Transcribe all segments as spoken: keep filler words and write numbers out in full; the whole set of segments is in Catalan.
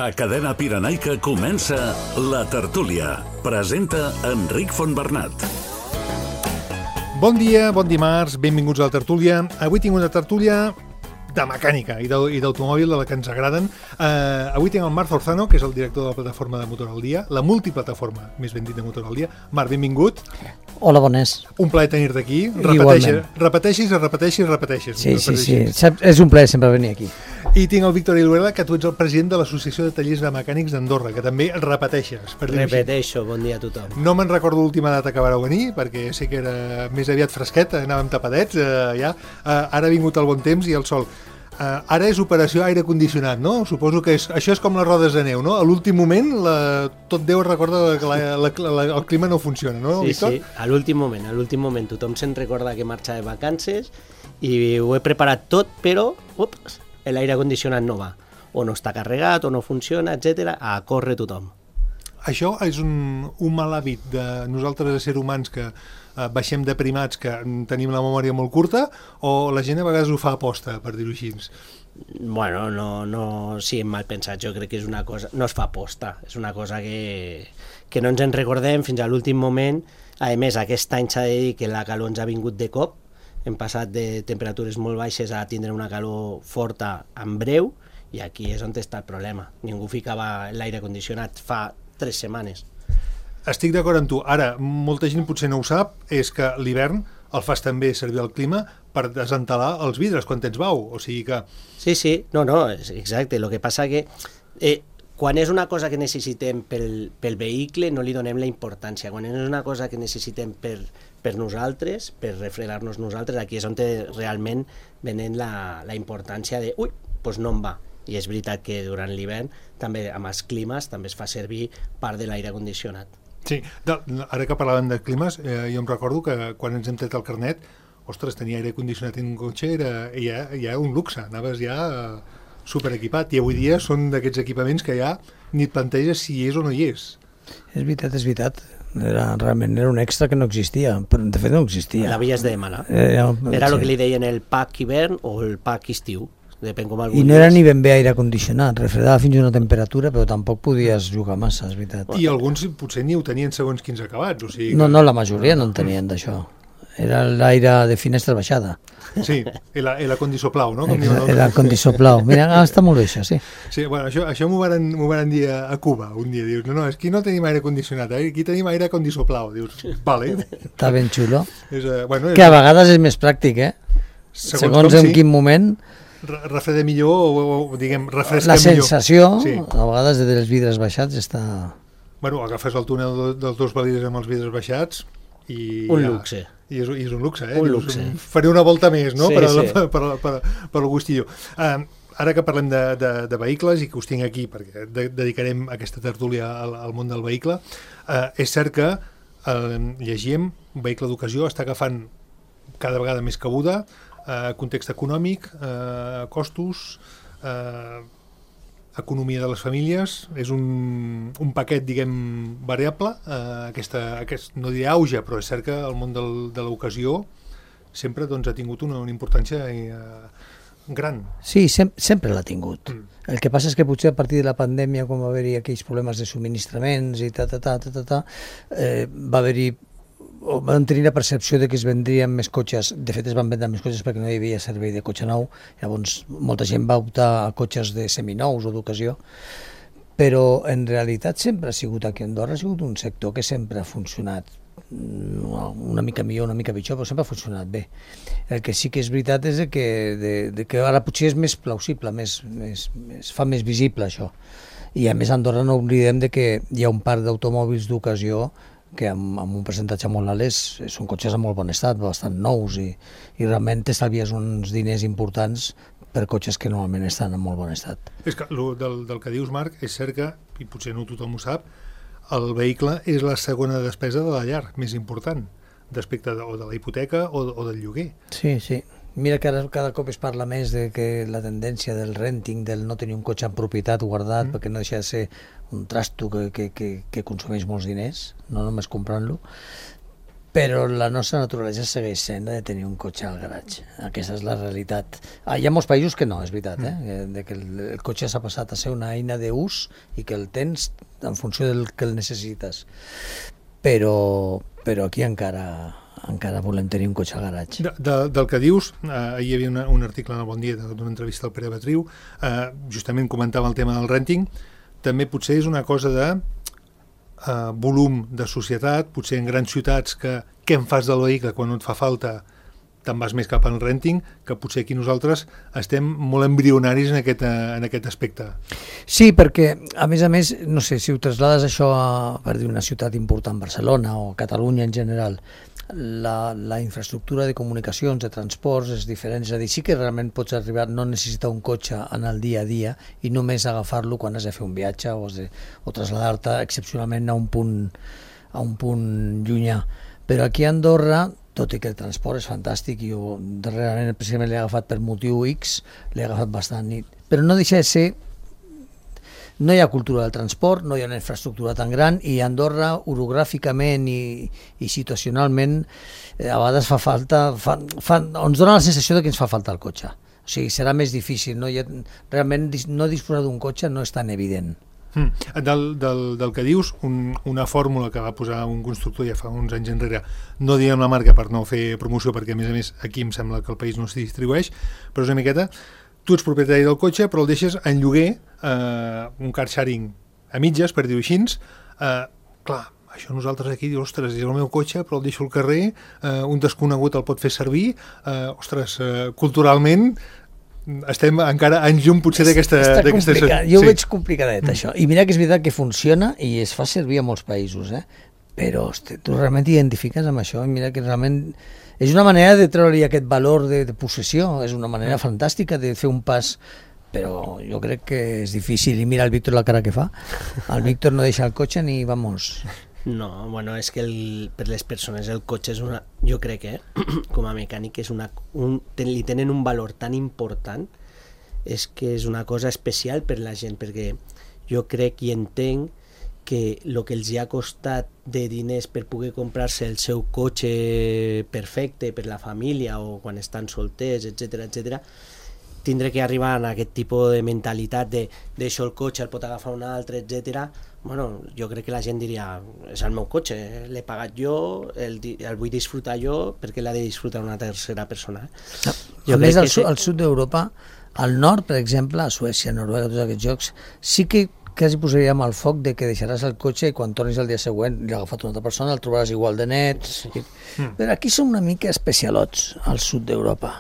A Cadena Pirenaica comença La Tertúlia. Presenta Enric Fontbernat. Bon dia, bon dimarts, benvinguts a La Tertúlia. Avui tinc una tertúlia de mecànica i d'automòbil, de la que ens agraden. Uh, avui tinc el Marc Zorzano, que és el director de la plataforma de Motor al Dia, la multiplataforma, més ben dit, de Motor al Dia. Marc, benvingut. Hola, bones. Un plaer tenir-te aquí. Repeteixes, repeteixis, repeteixis, repeteixis. Sí, sí, sí. És un plaer sempre venir aquí. I tinc el Víctor Iluela, que tu ets el president de l'Associació de Tallers de Mecànics d'Andorra, que també repeteixes. Per Repeteixo, bon dia a tothom. No me'n recordo l'última data que vareu venir, perquè sé que era més aviat fresquet, anàvem tapadets, eh, ja. Eh, ara ha vingut el bon temps i el sol. Uh, ara és operació aire condicionat, no? Suposo que és, això és com les rodes de neu, no? A l'últim moment la, tot Déu recorda que la, la, la, el clima no funciona, no, sí, Víctor? Sí, a l'últim moment, a l'últim moment tothom se'n recorda que marxa de vacances i ho he preparat tot, però ups, l'aire condicionat no va, o no està carregat, o no funciona, etcètera. A córrer tothom. Això és un, un mal hàbit de nosaltres, de ser humans, que eh, baixem de primats, que tenim la memòria molt curta, o la gent a vegades ho fa aposta, per dir-ho així? Bueno, no, no siguem mal pensats, jo crec que és una cosa, no es fa aposta, és una cosa que, que no ens en recordem fins a l'últim moment. A més, aquest any s'ha de dir que la calor ens ha vingut de cop, hem passat de temperatures molt baixes a tindre una calor forta en breu, i aquí és on està el problema. Ningú ficava l'aire condicionat fa tres setmanes. Estic d'acord amb tu. Ara, molta gent potser no ho sap, és que l'hivern el fas també servir el clima per desentelar els vidres quan tens bau, o sigui que... Sí, sí, no, no, exacte. El que passa que eh, quan és una cosa que necessitem pel, pel vehicle no li donem la importància. Quan és una cosa que necessitem per, per nosaltres, per refredar-nos nosaltres, aquí és on té realment venent la, la importància de ui, doncs no em va. I és veritat que durant l'hivern, també amb els climes, també es fa servir part de l'aire condicionat. Sí, de, ara que parlàvem de climes, eh, jo em recordo que quan ens hem tret el carnet, ostres, tenir aire condicionat en un cotxe era ja, ja un luxe, anaves ja eh, superequipat, i avui dia són d'aquests equipaments que ja ni et planteges si hi és o no hi és. És veritat, és veritat. Era, realment era un extra que no existia, però de fet no existia. L'havies de demanar. Era, era sí. el que li deien el pack hivern o el pack estiu. Depèn com I no era ni ben bé aire condicionat, refredava fins a una temperatura, però tampoc podies jugar massa, és veritat. I alguns potser ni ho tenien segons quins acabats, o sigui que... No, no, la majoria no en tenien d'això. Era l'aire de finestra baixada. Sí, el, el acondisoplau, no? Com el, el acondisoplau. Mira, ah, està molt bé això, sí. Sí, bueno, això, això m'ho van, m'ho van dir a, a Cuba un dia. Dius, no, no, és que no tenim aire condicionat, eh? Aquí tenim aire acondisoplau. Dius, vale. Està ben xulo. És, uh, bueno, és... Que a vegades és més pràctic, eh? Segons, Segons en sí. quin moment... refreda millor o, o diguem, refresca la millor. La sensació, sí. A vegades dels vidres baixats està... Bueno, agafes el túnel dels dos valides amb els vidres baixats i... Un ja, luxe. I és, i és un luxe, eh? Un Dius, luxe. Faré una volta més, no? Sí, per, sí. per, per, per, per el gustillo. Uh, ara que parlem de, de, de vehicles i que us tinc aquí perquè de, dedicarem aquesta tertúlia al, al món del vehicle, uh, és cert que uh, llegíem, un vehicle d'ocasió està agafant cada vegada més cabuda, Uh, context econòmic, uh, costos, uh, economia de les famílies, és un, un paquet, diguem, variable, uh, aquesta, aquest, no diré auge, però és cert que el món del, de l'ocasió sempre doncs, ha tingut una, una importància uh, gran. Sí, sem sempre l'ha tingut. Mm. El que passa és que potser a partir de la pandèmia, quan va haver-hi aquells problemes de subministraments i ta, ta, ta, ta, ta, ta eh, va haver-hi o van tenir la percepció de que es vendrien més cotxes. De fet, es van vendre més cotxes perquè no hi havia servei de cotxe nou. Llavors, molta gent va optar a cotxes de seminous o d'ocasió. Però, en realitat, sempre ha sigut aquí a Andorra, ha sigut un sector que sempre ha funcionat una mica millor, una mica pitjor, però sempre ha funcionat bé. El que sí que és veritat és que, de, de que ara potser és més plausible, més, més, es fa més visible això. I a més, a Andorra no oblidem de que hi ha un parc d'automòbils d'ocasió que amb, amb un percentatge molt alt és, són cotxes en molt bon estat, bastant nous, i, i realment t'estalvies uns diners importants per cotxes que normalment estan en molt bon estat. És que del, del que dius, Marc, és cert que, i potser no tothom ho sap, el vehicle és la segona despesa de la llar més important, d'aspecte de, o de la hipoteca o, o del lloguer. Sí, sí. Mira que ara cada cop es parla més de que la tendència del renting, del no tenir un cotxe en propietat guardat, mm. perquè no deixa de ser un trasto que, que, que, que consumeix molts diners, no només comprant-lo, però la nostra naturalesa segueix sent de tenir un cotxe al garatge. Aquesta és la realitat. Ah, hi ha molts països que no, és veritat, eh? De que el, el cotxe s'ha passat a ser una eina d'ús i que el tens en funció del que el necessites. Però, però aquí encara, encara volem tenir un cotxe al garatge. De, de, del que dius, eh, ahir hi havia una, un article en el Bon Dia d'una entrevista al Pere Betriu, eh, justament comentava el tema del renting. També potser és una cosa de Uh, volum de societat, potser en grans ciutats que què en fas del vehicle quan no et fa falta, te'n vas més cap al renting, que potser aquí nosaltres estem molt embrionaris en aquest, en aquest aspecte. Sí, perquè a més a més, no sé, si ho traslades això a, per dir, una ciutat important, Barcelona o Catalunya en general, la, la infraestructura de comunicacions, de transports és diferent, és a dir, sí que realment pots arribar, no necessitar un cotxe en el dia a dia i només agafar-lo quan has de fer un viatge o, has de, o traslladar-te excepcionalment a un punt, a un punt llunyà. Però aquí a Andorra, tot i que el transport és fantàstic, i jo darrerament precisament l'he agafat per motiu X, l'he agafat bastant, però no deixa de ser. No hi ha cultura del transport, no hi ha una infraestructura tan gran i Andorra, orogràficament i, i situacionalment, eh, a vegades fa falta, fa, fa, ens dona la sensació de que ens fa falta el cotxe. O sigui, serà més difícil. No? Hi ha, realment no disposar d'un cotxe no és tan evident. Mm. Del, del, del que dius, un, una fórmula que va posar un constructor ja fa uns anys enrere, no diem la marca per no fer promoció, perquè a més a més aquí em sembla que el país no s'hi distribueix, però és una miqueta, tu ets propietari del cotxe però el deixes en lloguer, eh, un car sharing a mitges, per dir-ho així, eh, clar, això nosaltres aquí dius, ostres, és el meu cotxe però el deixo al carrer, eh, un desconegut el pot fer servir, eh, ostres, eh, culturalment estem encara anys llum potser d'aquesta... Jo ho veig complicadet, mm. això. I mira que és veritat que funciona i es fa servir a molts països, eh? Però hosti, tu realment t'identifiques amb això i mira que realment és una manera de treure-li aquest valor de, de possessió, és una manera mm. fantàstica de fer un pas, però jo crec que és difícil. I mira el Víctor la cara que fa. El Víctor no deixa el cotxe ni vamos... No, bueno, és que el, per les persones el cotxe és una... Jo crec que, eh, com a mecànic, és una, un, ten, li tenen un valor tan important, és que és una cosa especial per la gent, perquè jo crec i entenc que el que els ha costat de diners per poder comprar-se el seu cotxe perfecte per la família o quan estan solters, etcètera, etcètera, tindre que arribar a aquest tipus de mentalitat de deixo el cotxe, el pot agafar un altre, etcètera. Bueno, jo crec que la gent diria és el meu cotxe, l'he pagat jo, el, el vull disfrutar jo, perquè l'ha de disfrutar una tercera persona. Eh? Jo a més, al, se... al sud d'Europa, al nord, per exemple, a Suècia, Noruega, tots aquests jocs, sí que quasi posaríem al foc de que deixaràs el cotxe i quan tornis el dia següent l'ha agafat una altra persona, el trobaràs igual de net. Sí. I... Mm. Però aquí som una mica especialots, al sud d'Europa.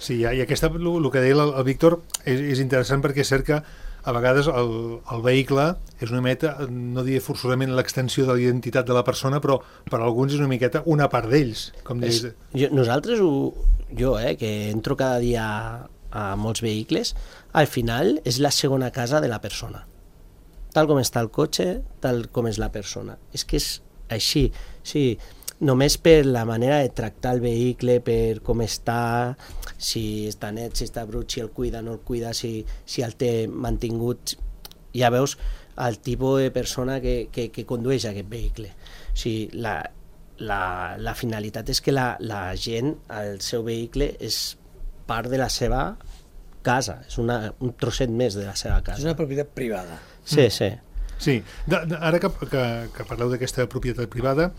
Sí, i aquesta, el, el que deia el, el Víctor és, és interessant perquè és cert que a vegades el, el vehicle és una meta, no diré forçosament l'extensió de la identitat de la persona, però per a alguns és una miqueta una part d'ells. Com és, jo, nosaltres, ho, jo, eh, que entro cada dia a molts vehicles, al final és la segona casa de la persona. Tal com està el cotxe, tal com és la persona. És que és així, sí, només per la manera de tractar el vehicle, per com està, si està net, si està brut, si el cuida, no el cuida, si, si el té mantingut. Ja veus el tipus de persona que, que, que condueix aquest vehicle. O sigui, la, la, la finalitat és que la, la gent, el seu vehicle, és part de la seva casa, és una, un trosset més de la seva casa. És una propietat privada. Sí, sí. Sí, de, de, ara que, que, que parleu d'aquesta propietat privada,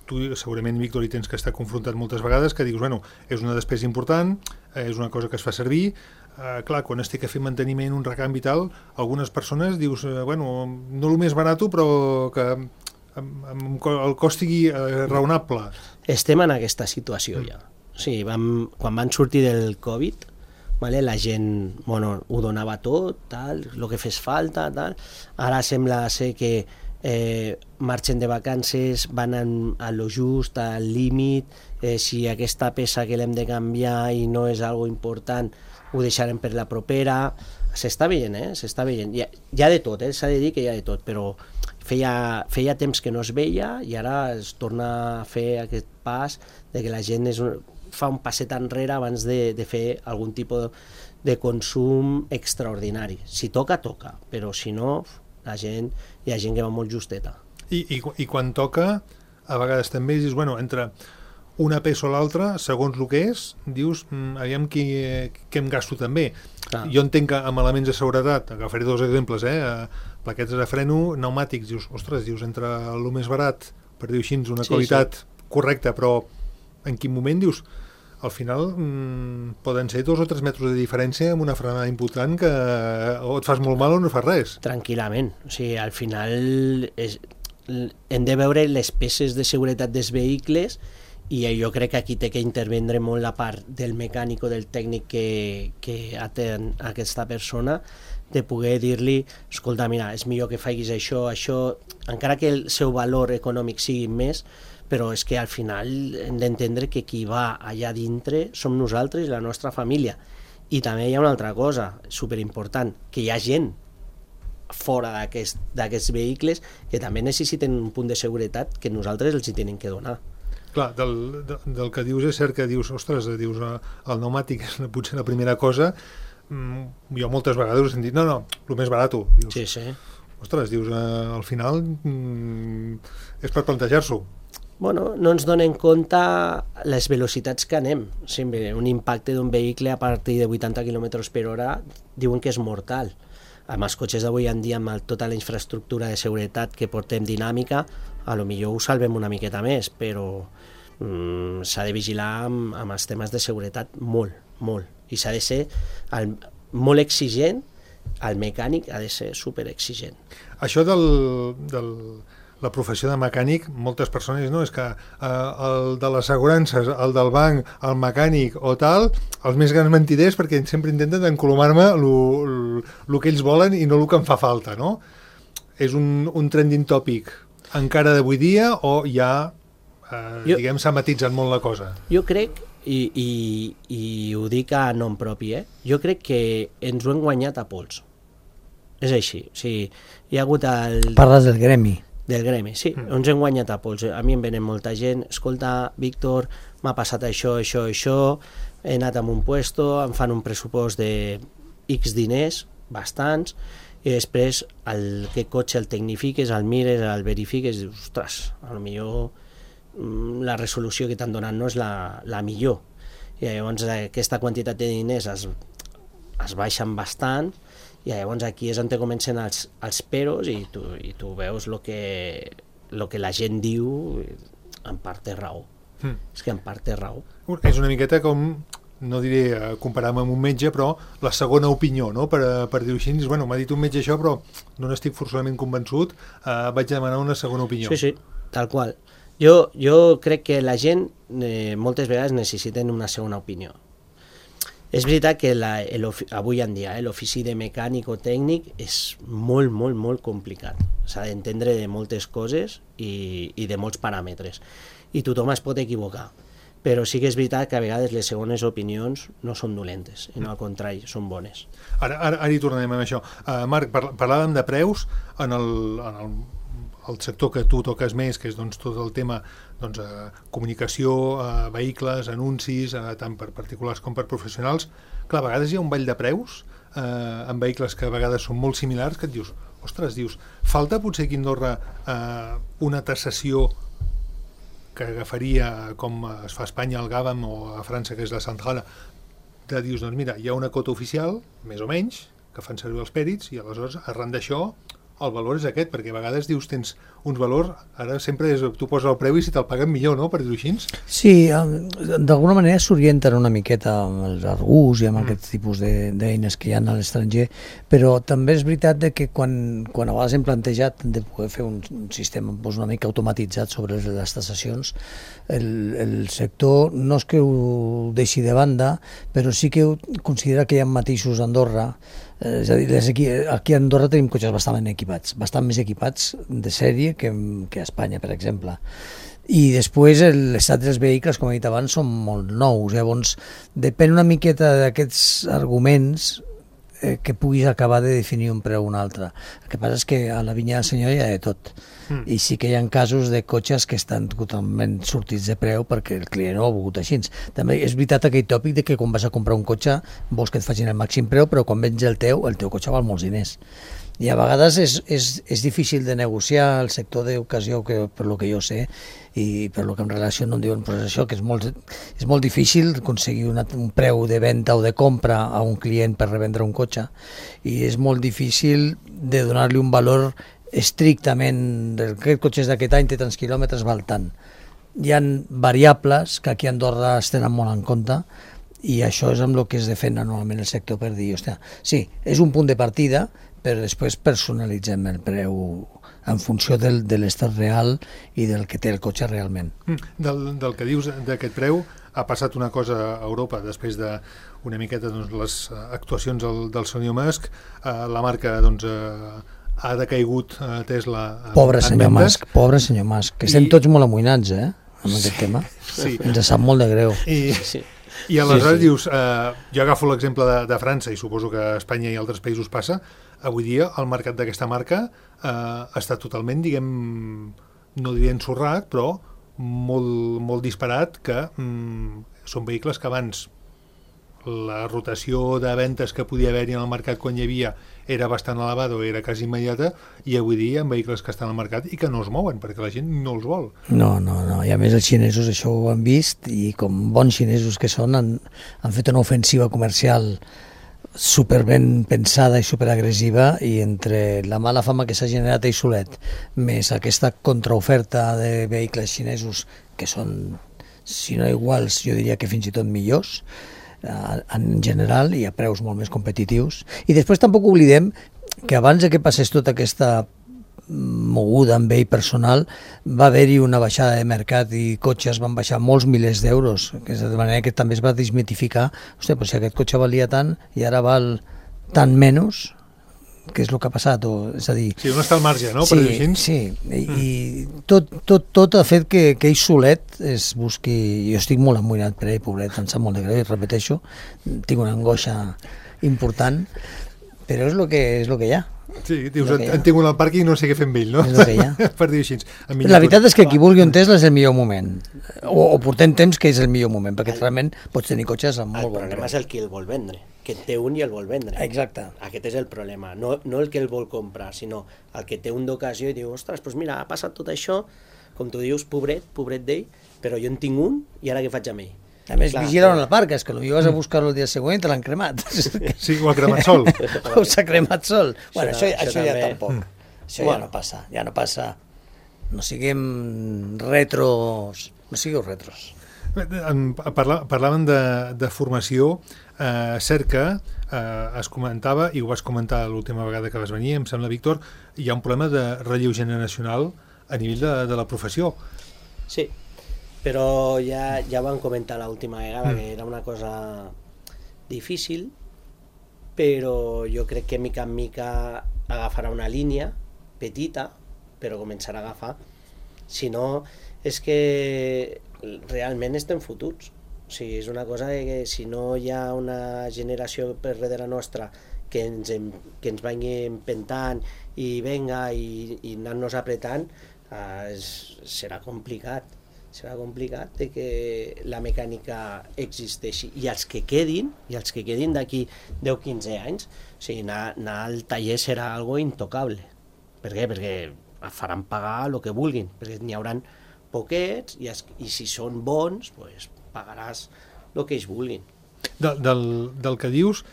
tu segurament, Víctor, hi tens que estar confrontat moltes vegades, que dius, bueno, és una despesa important, eh, és una cosa que es fa servir, eh, clar, quan es té que fer manteniment, un recanvi i tal, algunes persones dius, eh, bueno, no el més barat, però que amb, amb el cost sigui eh, raonable. Estem en aquesta situació ja. O sigui, vam, quan van sortir del Covid, vale, la gent, bueno, ho donava tot, tal, el que fes falta, tal. Ara sembla ser que Eh, marxen de vacances, van en, a lo just, al límit, eh, si aquesta peça que l'hem de canviar i no és algo important, ho deixarem per la propera. S'està veient, eh? S'està veient. Hi ha, hi ha de tot, eh? S'ha de dir que hi ha de tot, però feia, feia temps que no es veia i ara es torna a fer aquest pas de que la gent és un, fa un passet enrere abans de, de fer algun tipus de, de consum extraordinari. Si toca, toca, però si no... la gent, hi ha gent que va molt justeta. I, i, i quan toca, a vegades també dius, bueno, entre una peça o l'altra, segons el que és, dius, mm, aviam qui, què em gasto també. Clar. Jo entenc que amb elements de seguretat, agafaré dos exemples, eh? Plaquetes de freno, pneumàtics, dius, ostres, dius, entre el més barat, per dir així, una sí, qualitat sí. correcta, però en quin moment dius, al final mmm, poden ser dos o tres metres de diferència amb una frenada important que o et fas molt mal o no fas res. Tranquil·lament, o sigui, al final és, hem de veure les peces de seguretat dels vehicles i jo crec que aquí té que intervindre molt la part del mecànic o del tècnic que, que atén aquesta persona, de poder dir-li, escolta, mira, és millor que facis això, això, encara que el seu valor econòmic sigui més, però és que al final hem d'entendre que qui va allà dintre som nosaltres i la nostra família. I també hi ha una altra cosa superimportant, que hi ha gent fora d'aquests aquest, vehicles que també necessiten un punt de seguretat que nosaltres els hi tenim que donar. Clar, del, de, del que dius és cert que dius, ostres, dius, el pneumàtic és potser la primera cosa, mm, jo moltes vegades he sentit, no, no, el més barat, dius, sí, sí. Ostres, dius, eh, al final mm, és per plantejar-s'ho. Bueno, no ens donen compte les velocitats que anem. Sempre un impacte d'un vehicle a partir de vuitanta quilòmetres per hora diuen que és mortal. Amb els cotxes d'avui en dia, amb tota la infraestructura de seguretat que portem dinàmica, a lo millor ho salvem una miqueta més, però mm, s'ha de vigilar amb, amb els temes de seguretat molt, molt. I s'ha de ser el, molt exigent, el mecànic ha de ser superexigent. Això del... del... la professió de mecànic, moltes persones, no? És que eh, el de les assegurances, el del banc, el mecànic o tal, els més grans mentiders, perquè sempre intenten encolomar-me el que ells volen i no el que em fa falta, no? És un, un trending topic encara d'avui dia o ja, eh, jo, diguem, s'ha matitzat molt la cosa? Jo crec, i, i, i ho dic a nom propi, eh? Jo crec que ens ho hem guanyat a pols. És així. O sigui, hi ha hagut el... Parles del gremi. Del gremi, sí, mm. ens hem guanyat a pols. A mi em venen molta gent, escolta, Víctor, m'ha passat això, això, això, he anat a un puesto, em fan un pressupost de X diners, bastants, i després el que cotxe el tecnifiques, el mires, el verifiques, i dius, ostres, potser la resolució que t'han donat no és la, la millor. I llavors aquesta quantitat de diners es, es baixen bastant, i llavors aquí és on te comencen els, els peros i tu, i tu veus el que, lo que la gent diu, en part té raó. Mm. És que en part té raó. És una miqueta com, no diré comparar-me amb un metge, però la segona opinió, no? Per, per dir-ho així, bueno, m'ha dit un metge això, però no n'estic forçosament convençut, eh, vaig demanar una segona opinió. Sí, sí, tal qual. Jo, jo crec que la gent eh, moltes vegades necessiten una segona opinió. És veritat que la, avui en dia eh, l'ofici de mecànic o tècnic és molt, molt, molt complicat. S'ha d'entendre de moltes coses i, i de molts paràmetres. I tothom es pot equivocar. Però sí que és veritat que a vegades les segones opinions no són dolentes, i no al contrari, són bones. Ara, ara, ara hi tornarem amb això. Uh, Marc, parlàvem de preus en el... En el... el sector que tu toques més, que és doncs, tot el tema doncs, eh, comunicació, eh, vehicles, anuncis, eh, tant per particulars com per professionals. Clar, a vegades hi ha un ball de preus eh, en vehicles que a vegades són molt similars, que et dius, ostres, dius, falta potser aquí a Andorra eh, una tassació que agafaria com es fa a Espanya al Gàvam o a França, que és la Centrala, de dius, doncs mira, hi ha una cota oficial, més o menys, que fan servir els pèrits, i aleshores, arran d'això, el valor és aquest, perquè a vegades dius tens uns valors, ara sempre és, tu poses el preu i si te'l paguen millor, no?, per dir-ho així. Sí, d'alguna manera s'orienten una miqueta amb els argús i amb mm. aquest tipus d'eines que hi ha a l'estranger, però també és veritat de que quan, quan a vegades hem plantejat de poder fer un, un sistema doncs, una mica automatitzat sobre les taxacions, el, el sector no és que ho deixi de banda, però sí que considera que hi ha matisos a Andorra. És a dir, aquí, aquí a Andorra tenim cotxes bastant equipats, bastant més equipats de sèrie que, que a Espanya, per exemple. I després l'estat dels vehicles, com he dit abans, són molt nous. Llavors, depèn una miqueta d'aquests arguments eh, que puguis acabar de definir un preu o un altre. El que passa és que a la vinya del senyor hi ha de tot. Mm. I sí que hi ha casos de cotxes que estan totalment sortits de preu perquè el client no ho ha volgut així. També és veritat aquell tòpic de que quan vas a comprar un cotxe vols que et facin el màxim preu, però quan vens el teu, el teu cotxe val molts diners. I a vegades és, és, és difícil de negociar el sector d'ocasió, que per lo que jo sé, i per lo que en relació no em diuen, però és això, que és molt, és molt difícil aconseguir una, un preu de venda o de compra a un client per revendre un cotxe, i és molt difícil de donar-li un valor estrictament, aquest cotxe és d'aquest any, té tants quilòmetres, val tant. Hi ha variables que aquí a Andorra es tenen molt en compte, i això és amb el que es defensa normalment el sector, per dir, hòstia, sí, és un punt de partida, però després personalitzem el preu en funció del, de l'estat real i del que té el cotxe realment. Del, del que dius d'aquest preu, ha passat una cosa a Europa després de una miqueta doncs, les actuacions del, del senyor Musk, eh, la marca doncs, eh, ha decaigut a Tesla en, pobre senyor en ventes. Musk, pobre senyor Musk, que estem I... tots molt amoïnats, eh, amb sí, aquest tema. Sí. Ens sap molt de greu. I... Sí. I aleshores sí, sí. dius, eh, jo agafo l'exemple de, de França i suposo que a Espanya i altres països passa, avui dia el mercat d'aquesta marca eh, està totalment, diguem, no diré ensorrat, però molt, molt disparat, que mm, són vehicles que abans la rotació de ventes que podia haver-hi en el mercat quan hi havia era bastant elevada o era quasi immediata, i avui dia hi ha vehicles que estan al mercat i que no es mouen perquè la gent no els vol. No, no, no, i a més els xinesos això ho han vist, i com bons xinesos que són han, han fet una ofensiva comercial super ben pensada i super agressiva, i entre la mala fama que s'ha generat ell solet més aquesta contraoferta de vehicles xinesos que són, si no iguals, jo diria que fins i tot millors en general, i a preus molt més competitius. I després tampoc oblidem que abans de que passés tota aquesta moguda amb ell personal va haver-hi una baixada de mercat i cotxes van baixar molts milers d'euros, que és de manera que també es va desmitificar, hòstia, però si aquest cotxe valia tant i ara val tant menys, què és el que ha passat? O, és a dir, sí, on està el marge, no? Sí, per dir així. Sí, i, i tot, tot, tot ha fet que, que ell solet es busqui. Jo estic molt amoïnat per ell, pobret, em sap molt de greu, i repeteixo, tinc una angoixa important, però és el que, és lo que hi ha. Sí, dius, en tinc un al parc i no sé què fer amb ell, no? És el que hi ha. Per dir així. La veritat és que qui vulgui un Tesla és el millor moment, o, o portem temps que és el millor moment, perquè realment pots tenir cotxes amb molt bon preu. El problema és el qui el vol vendre, que té un i el vol vendre. Exacte. Aquest és el problema, no, no el que el vol comprar, sinó el que té un d'ocasió i diu, ostres, doncs mira, ha passat tot això, com tu dius, pobret, pobret d'ell, però jo en tinc un i ara què faig amb ell? A més, vigila on el parques, que potser vas a buscar-lo el dia següent i te l'han cremat. Sí, o ha cremat sol. O s'ha cremat sol. Bueno, això, això, això ja també. tampoc. Això ja no passa, ja no passa. No siguem retros, no sigueu retros. Parla, parlaven de, de formació, eh, cert que eh, es comentava, i ho vas comentar l'última vegada que vas venir, em sembla, Víctor, hi ha un problema de relleu generacional a nivell de, de la professió. Sí, però ja, ja vam comentar l'última vegada mm. que era una cosa difícil, però jo crec que mica en mica agafarà una línia petita, però començarà a agafar. Si no, és que realment estem fotuts. O sigui, és una cosa que si no hi ha una generació per darrere nostra que ens, que ens vagi empentant i venga i, i anar-nos apretant, eh, és, serà complicat. serà complicat de que la mecànica existeixi, i els que quedin i els que quedin d'aquí deu a quinze anys, o sigui, anar, anar al taller serà algo intocable. Per què? Perquè faran pagar el que vulguin, perquè n'hi hauran poquets i, es, i si són bons pues, pagaràs el que ells vulguin. De, del, del que dius,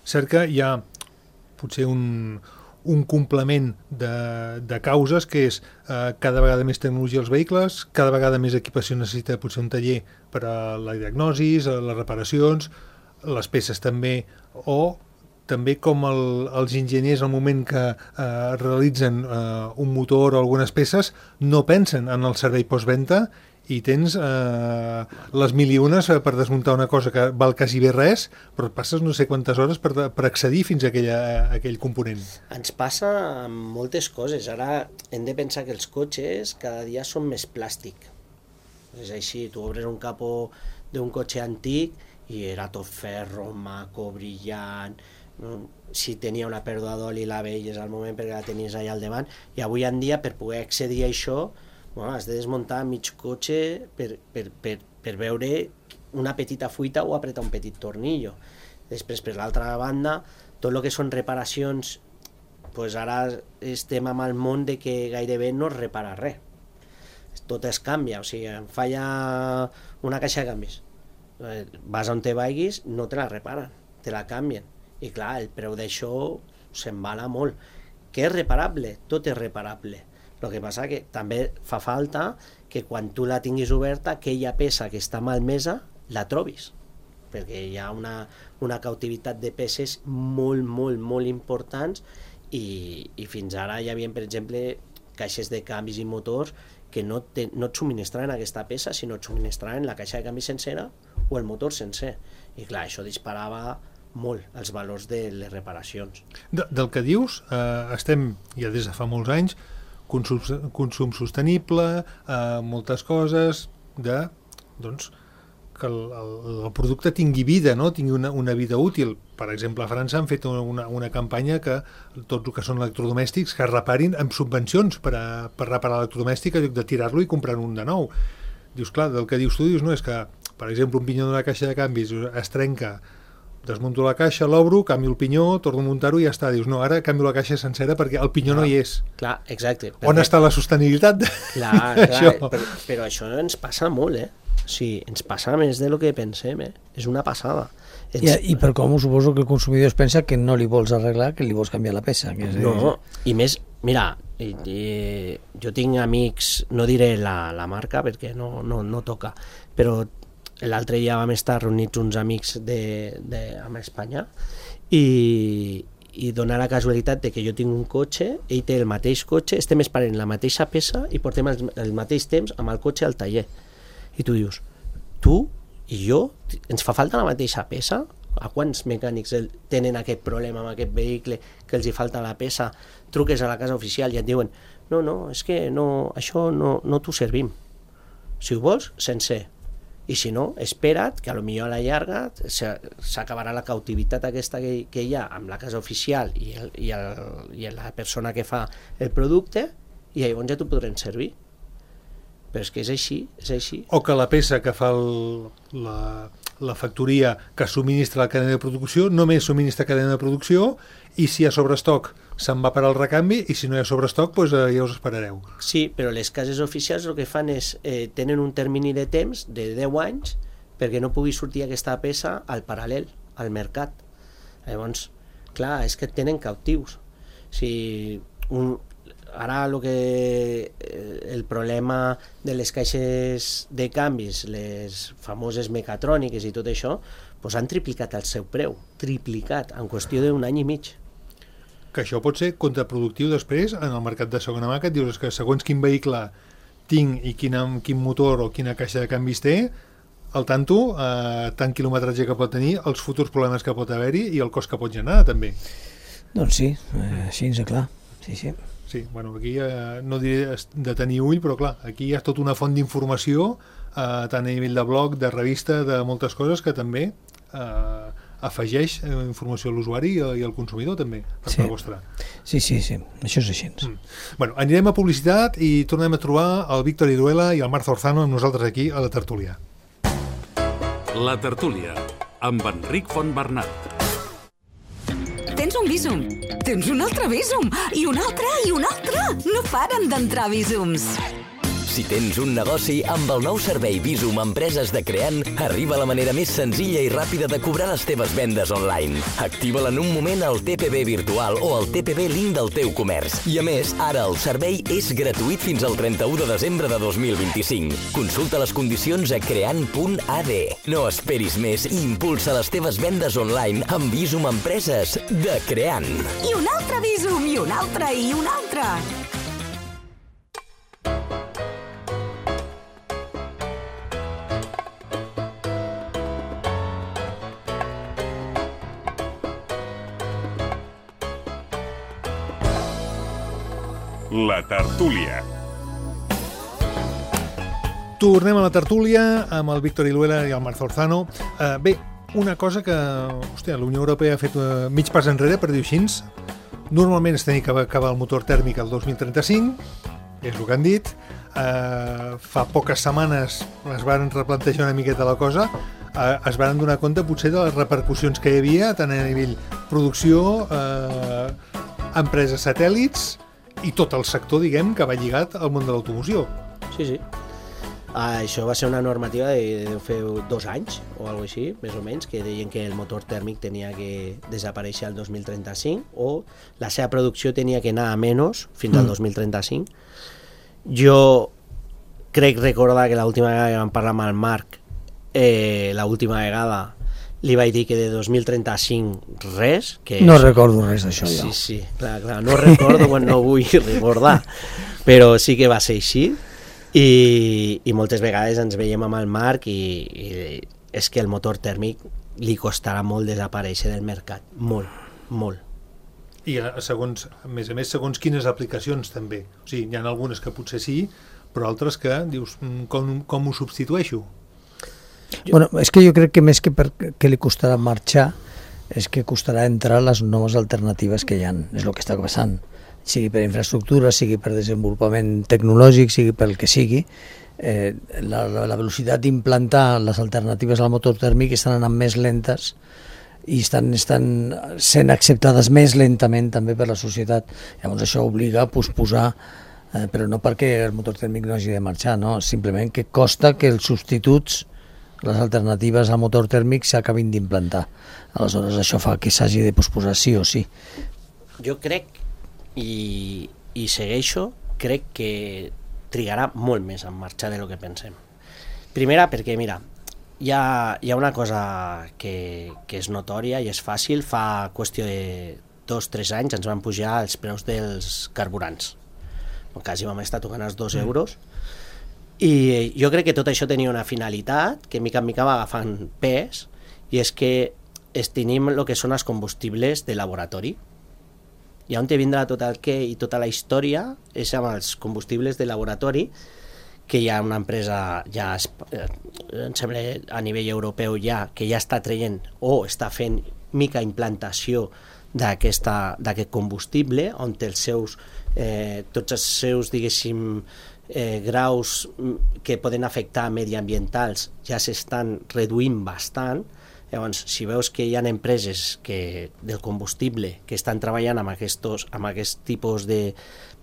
cert que hi ha potser un, un complement de, de causes, que és eh, cada vegada més tecnologia als vehicles, cada vegada més equipació necessita potser un taller per a la diagnosi, a les reparacions, les peces també, o també com el, els enginyers al moment que eh, realitzen eh, un motor o algunes peces no pensen en el servei postventa i tens eh, les mil i unes per desmuntar una cosa que val quasi bé res, però et passes no sé quantes hores per, per accedir fins a, aquella, a aquell component. Ens passa amb moltes coses. Ara hem de pensar que els cotxes cada dia són més plàstic. És així, tu obres un capó d'un cotxe antic i era tot ferro, maco, brillant, si tenia una pèrdua d'oli la veies al moment perquè la tenies allà al davant, i avui en dia per poder accedir a això, bueno, has de desmuntar mig cotxe per, per, per, per veure una petita fuita o apretar un petit tornillo. Després, per l'altra banda, tot el que són reparacions pues ara estem amb el món de que gairebé no es repara res. Tot es canvia, o sigui, em falla una caixa de canvis. Vas on te vagis, no te la reparen, te la canvien. I clar, el preu d'això s'embala molt. Que és reparable? Tot és reparable. El que passa que també fa falta que quan tu la tinguis oberta, aquella peça que està malmesa, la trobis. Perquè hi ha una, una cautivitat de peces molt, molt, molt importants i, i fins ara hi havia, per exemple, caixes de canvis i motors que no, te, no et subministraven aquesta peça, sinó et subministraven la caixa de canvis sencera o el motor sencer. I clar, això disparava molt els valors de les reparacions. De, del que dius, eh, estem ja des de fa molts anys, consum, consum sostenible, eh, moltes coses, de, doncs, que el, el, el producte tingui vida, no? Tingui una, una vida útil. Per exemple, a França han fet una, una campanya que tot el que són electrodomèstics que es reparin amb subvencions per, a, per reparar l'electrodomèstic en lloc de tirar-lo i comprar un de nou. Dius, clar, del que dius tu, dius, no, és que, per exemple, un pinyó d'una caixa de canvis es trenca, desmunto la caixa, l'obro, canvio el pinyó, torno a muntar-ho i ja està. Dius, no, ara canvio la caixa sencera perquè el pinyó clar, no hi és. Clar, exacte. On perquè... està la sostenibilitat? Clar, clar, això? Però, però això ens passa molt, eh? Sí, ens passa més de lo que pensem, eh? És una passada. Ens... I, I per com suposo que el consumidor es pensa que no li vols arreglar, que li vols canviar la peça. Que és... No, i més, mira, i, i, jo tinc amics, no diré la, la marca perquè no, no, no toca, però l'altre dia vam estar reunits uns amics de, de, amb Espanya i, i donar la casualitat de que jo tinc un cotxe, ell té el mateix cotxe, estem esperant la mateixa peça i portem el, el mateix temps amb el cotxe al taller. I tu dius, tu i jo, ens fa falta la mateixa peça? A quants mecànics tenen aquest problema amb aquest vehicle que els hi falta la peça? Truques a la casa oficial i et diuen, no, no, és que no, això no, no t'ho servim. Si ho vols, sencer. I si no, espera't, que potser a la llarga s'acabarà la cautivitat aquesta que, que hi ha amb la casa oficial i, el, i, el, i la persona que fa el producte i llavors ja t'ho podrem servir. Però és que és així, és així. O que la peça que fa el, la, la factoria que subministra la cadena de producció només subministra cadena de producció i si hi ha sobrestoc se'n va per al recanvi i si no hi ha sobrestoc doncs, eh, ja us esperareu. Sí, però les cases oficials el que fan és eh, tenen un termini de temps de deu anys perquè no pugui sortir aquesta peça al paral·lel, al mercat. Llavors, clar, és que tenen cautius. Si un, ara el que el problema de les caixes de canvis, les famoses mecatròniques i tot això, doncs han triplicat el seu preu, triplicat en qüestió d'un any i mig. Que això pot ser contraproductiu després en el mercat de segona mà, que et dius que segons quin vehicle tinc i quin, quin motor o quina caixa de canvis té, al tanto, eh, tant quilometratge que pot tenir, els futurs problemes que pot haver-hi i el cost que pot generar també. Doncs sí, eh, així és clar, sí, sí. Sí, bueno, aquí eh, no diré de tenir ull, però clar, aquí hi ha tota una font d'informació, eh, tant a nivell de blog, de revista, de moltes coses que també eh, afegeix eh, informació a l'usuari i, i al consumidor també, per sí. part vostra. Sí, sí, sí, això és així. Mm. Bueno, anirem a publicitat i tornem a trobar el Víctor Iruela i el Marc Zorzano amb nosaltres aquí a la tertúlia. La tertúlia, amb Enric Fontbernat. Tens un Bizum, tens un altre Bizum, i un altre, i un altre. No paren d'entrar Bizums. Si tens un negoci, amb el nou servei Bizum Empreses de Creant, arriba la manera més senzilla i ràpida de cobrar les teves vendes online. Activa-la en un moment al T P B virtual o al T P B link del teu comerç. I a més, ara el servei és gratuït fins al trenta-u de desembre de dos mil vint-i-cinc. Consulta les condicions a creant punt a d. No esperis més i impulsa les teves vendes online amb Bizum Empreses de Creant. I un altre Bizum, i un altre, i un altre. La tertúlia. Tornem a la tertúlia amb el Víctor Iruela i el Marc Zorzano. Uh, bé, una cosa que hòstia, la Unió Europea ha fet uh, mig pas enrere, per dir-ho així. Normalment es tenia que acabar el motor tèrmic el dos mil trenta-cinc, és el que han dit. Uh, fa poques setmanes es van replantejar una miqueta la cosa, uh, es van donar compte potser de les repercussions que hi havia, tant a nivell producció, uh, empreses satèl·lits i tot el sector, diguem, que va lligat al món de l'automoció. Sí, sí. Uh, això va ser una normativa de, de fer dos anys o alguna cosa així, més o menys, que deien que el motor tèrmic tenia que desaparèixer el dos mil trenta-cinc o la seva producció tenia que anar a menys fins al dos mil trenta-cinc. Jo crec recordar que l'última vegada que vam parlar amb el Marc, eh, l'última vegada li vaig dir que de dos mil trenta-cinc res. Que no és... recordo res d'això, jo. Sí, sí, clar, clar, no recordo quan no vull recordar, però sí que va ser així. I, i moltes vegades ens veiem amb el Marc i, i és que el motor tèrmic li costarà molt desaparèixer del mercat, molt, molt. I segons, a més a més, segons quines aplicacions també. O sigui, hi ha algunes que potser sí, però altres que dius, com, com ho substitueixo? Bueno, és que jo crec que més que per què li costarà marxar és que costarà entrar les noves alternatives que hi ha, és el que està passant. Sigui per infraestructura, sigui per desenvolupament tecnològic, sigui pel que sigui, eh, la, la velocitat d'implantar les alternatives al motor tèrmic estan anant més lentes i estan, estan sent acceptades més lentament també per la societat. Llavors això obliga a posposar, eh, però no perquè el motor tèrmic no hagi de marxar, no? Simplement que costa que els substituts, les alternatives al motor tèrmic s'acabin d'implantar. Aleshores això fa que s'hagi de posposar sí o sí. Jo crec I, i segueixo, crec que trigarà molt més en marxar de lo que pensem. Primera perquè, mira, hi ha, hi ha una cosa que, que és notòria i és fàcil. Fa qüestió de dos o tres anys ens van pujar els preus dels carburants. Quasi vam estar tocant els dos euros. I jo crec que tot això tenia una finalitat que mica en mica va agafant pes, i és que es tenim el que són els combustibles de laboratori. I on te vindrà tot el què i tota la història és amb els combustibles de laboratori, que hi ha una empresa ja em sembla a nivell europeu ja que ja està traient o està fent mica implantació d'aquest combustible, on els seus, eh, tots els seus, diguéssim, eh, graus que poden afectar mediambientals ja s'estan reduint bastant. Llavors, si veus que hi ha empreses que, del combustible que estan treballant amb, aquestos, amb aquest tipus de,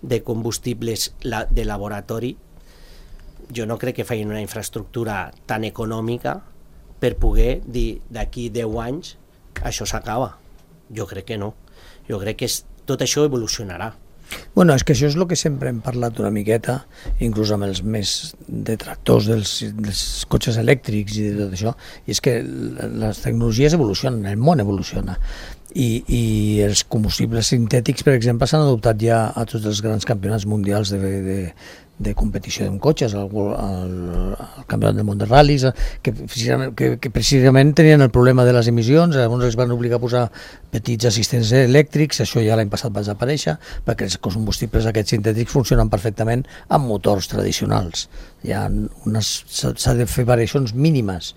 de combustibles la, de laboratori, jo no crec que facin una infraestructura tan econòmica per poder dir d'aquí deu anys això s'acaba. Jo crec que no. Jo crec que és, tot això evolucionarà. Bueno, és que això és el que sempre hem parlat una miqueta, inclús amb els més detractors dels, dels cotxes elèctrics i de tot això, i és que les tecnologies evolucionen, el món evoluciona, i, i els combustibles sintètics, per exemple, s'han adoptat ja a tots els grans campionats mundials de, de, de competició amb cotxes, al, al, al campionat del món de ral·lis, que precisament, que, que precisament tenien el problema de les emissions, llavors els van obligar a posar petits assistents elèctrics, això ja l'any passat va desaparèixer, perquè els combustibles aquests sintètics funcionen perfectament amb motors tradicionals. Hi ha unes, s'ha de fer variacions mínimes,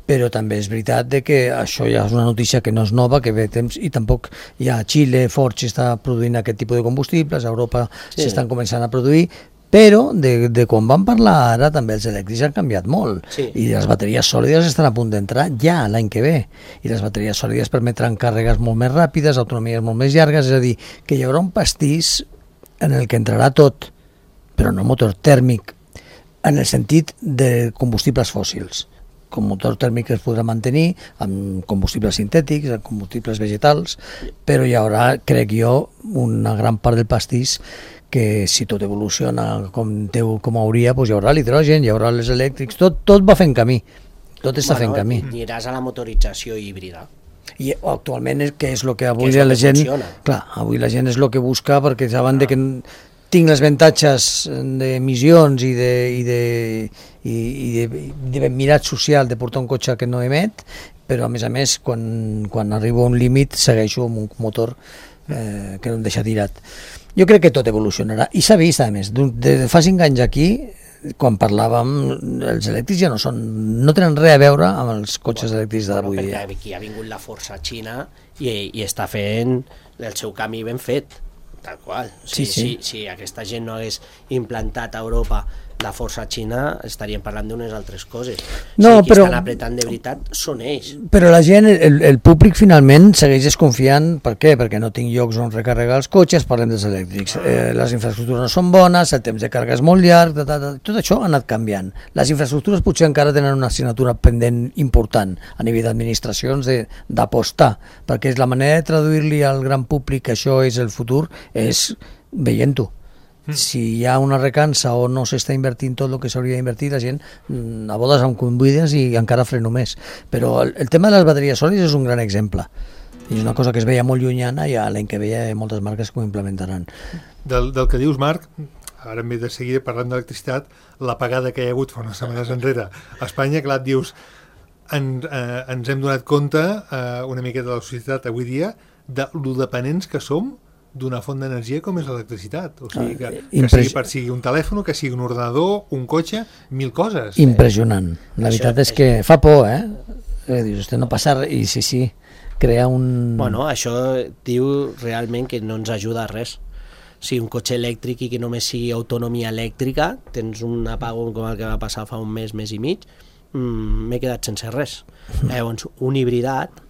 però també és veritat de que això ja és una notícia que no és nova, que ve temps, i tampoc hi ha Xile, Ford està produint aquest tipus de combustibles, a Europa sí. s'estan començant a produir, però de, de quan vam parlar ara també els elèctrics han canviat molt, sí. i les bateries sòlides estan a punt d'entrar ja l'any que ve, i les bateries sòlides permetran càrregues molt més ràpides, autonomies molt més llargues, és a dir, que hi haurà un pastís en el que entrarà tot, però no motor tèrmic, en el sentit de combustibles fòssils. Com motor tèrmic es podrà mantenir amb combustibles sintètics, amb combustibles vegetals, però hi haurà, crec jo, una gran part del pastís que si tot evoluciona com, teu, com hauria, doncs hi haurà l'hidrogen, hi haurà els elèctrics, tot, tot va fent camí, tot està bueno, fent camí. I aniràs a la motorització híbrida. I actualment, que és el que avui que la gent... Funciona. Clar, avui la gent és el que busca, perquè saben de que tinc les avantatges d'emissions i de, i de, i, i de, de mirat social de portar un cotxe que no emet, però a més a més, quan, quan arribo a un límit, segueixo amb un motor eh, que no em deixa tirat. Jo crec que tot evolucionarà, i s'ha vist, a més, de, de fa cinc anys aquí, quan parlàvem, els elèctrics ja no són, no tenen res a veure amb els cotxes bueno, elèctrics d'avui bueno, dia. Aquí ha vingut la força xina i, i està fent el seu camí ben fet, tal qual. O sigui, sí, sí. Si, si aquesta gent no hagués implantat a Europa la força xina estaríem parlant d'unes altres coses. No, o sigui, qui però- estan apretant de veritat són ells. Però la gent, el, el públic finalment segueix desconfiant. Per què? Perquè no tinc llocs on recarregar els cotxes, parlem dels elèctrics, eh, les infraestructures no són bones, el temps de càrrega és molt llarg, ta, ta, ta, tot això ha anat canviant. Les infraestructures potser encara tenen una assignatura pendent important a nivell d'administracions de- d'apostar, perquè és la manera de traduir-li al gran públic que això és el futur, és veient-ho. Si hi ha una recança o no s'està invertint tot el que s'hauria d'invertir, la gent mm, a bodes em convides i encara freno més. Però el, el tema de les bateries sòlides és un gran exemple. I és una cosa que es veia molt llunyana i a l'any que ve hi ha moltes marques que ho implementaran. Del, del que dius, Marc, ara en ve de seguida parlant d'electricitat, l'apagada que hi ha hagut fa unes setmanes enrere a Espanya, clar, et dius, en, eh, ens hem donat compte eh, una miqueta de la societat avui dia de lo dependents que som d'una font d'energia com és l'electricitat. O sigui, que, que Impres- sigui per sigui un telèfon, que sigui un ordenador, un cotxe, mil coses. Impressionant. La Això veritat és és- que fa por, eh? eh dius, este no passa res, i sí, sí, crea un... Bueno, això diu realment que no ens ajuda a res. Si un cotxe elèctric i que només sigui autonomia elèctrica, tens un apagón com el que va passar fa un mes, mes i mig, mmm, m'he quedat sense res. Llavors, un hibridat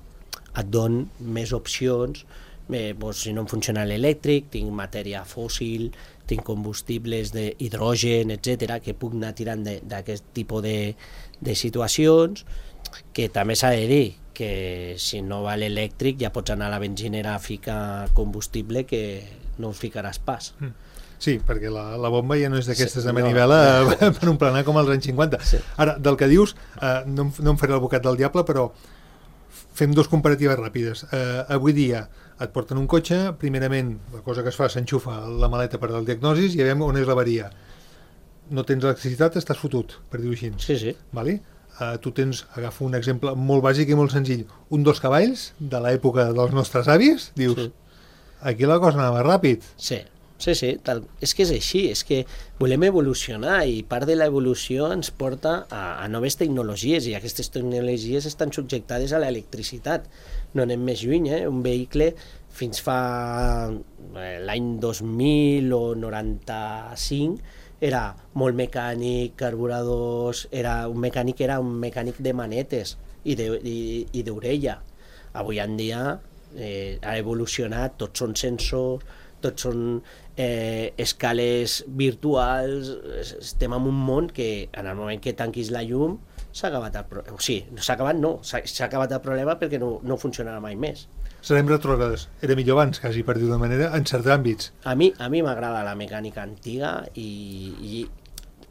et don més opcions. Bé, doncs, si no em funciona l'elèctric, tinc matèria fòssil, tinc combustibles d'hidrogen, etcètera, que puc anar tirant d'aquest tipus de, de situacions, que també s'ha de dir que si no va l'elèctric ja pots anar a la benzinera a ficar combustible que no us ficaràs pas. Sí, perquè la, la bomba ja no és d'aquestes Sí, de no, manivela no. per un planar com als anys cinquanta. Sí. Ara, del que dius, eh, no, em- no em faré l'advocat del diable, però fem dos comparatives ràpides. Eh, avui dia et porten un cotxe, primerament la cosa que es fa s'enxufa la maleta per al diagnosis i ja veiem on és l'averia. No tens electricitat, estàs fotut, per dir-ho així. Sí, sí. Vale? Uh, tu tens, agafo un exemple molt bàsic i molt senzill, un dos cavalls de l'època dels nostres avis, dius, Sí. aquí la cosa anava ràpid. Sí, sí, sí, tal. És que és així, és que volem evolucionar i part de l'evolució ens porta a, a noves tecnologies i aquestes tecnologies estan subjectades a l'electricitat. No anem més lluny, eh? Un vehicle fins fa eh, l'any dos mil o noranta-cinc era molt mecànic, carburadors, era un mecànic era un mecànic de manetes i de- i- i d'orella. Avui en dia eh, ha evolucionat, tots són sensors, tots són eh, escales virtuals, es- estem en un món que en el moment que tanquis la llum s'ha acabat el problema. O sigui, no s'ha acabat, no, s'ha s'ha acabat el problema perquè no, no funcionarà mai més. Serem retrògrades. Era millor abans, quasi, per dir d'una manera, en certs àmbits. A mi, a mi m'agrada la mecànica antiga i, i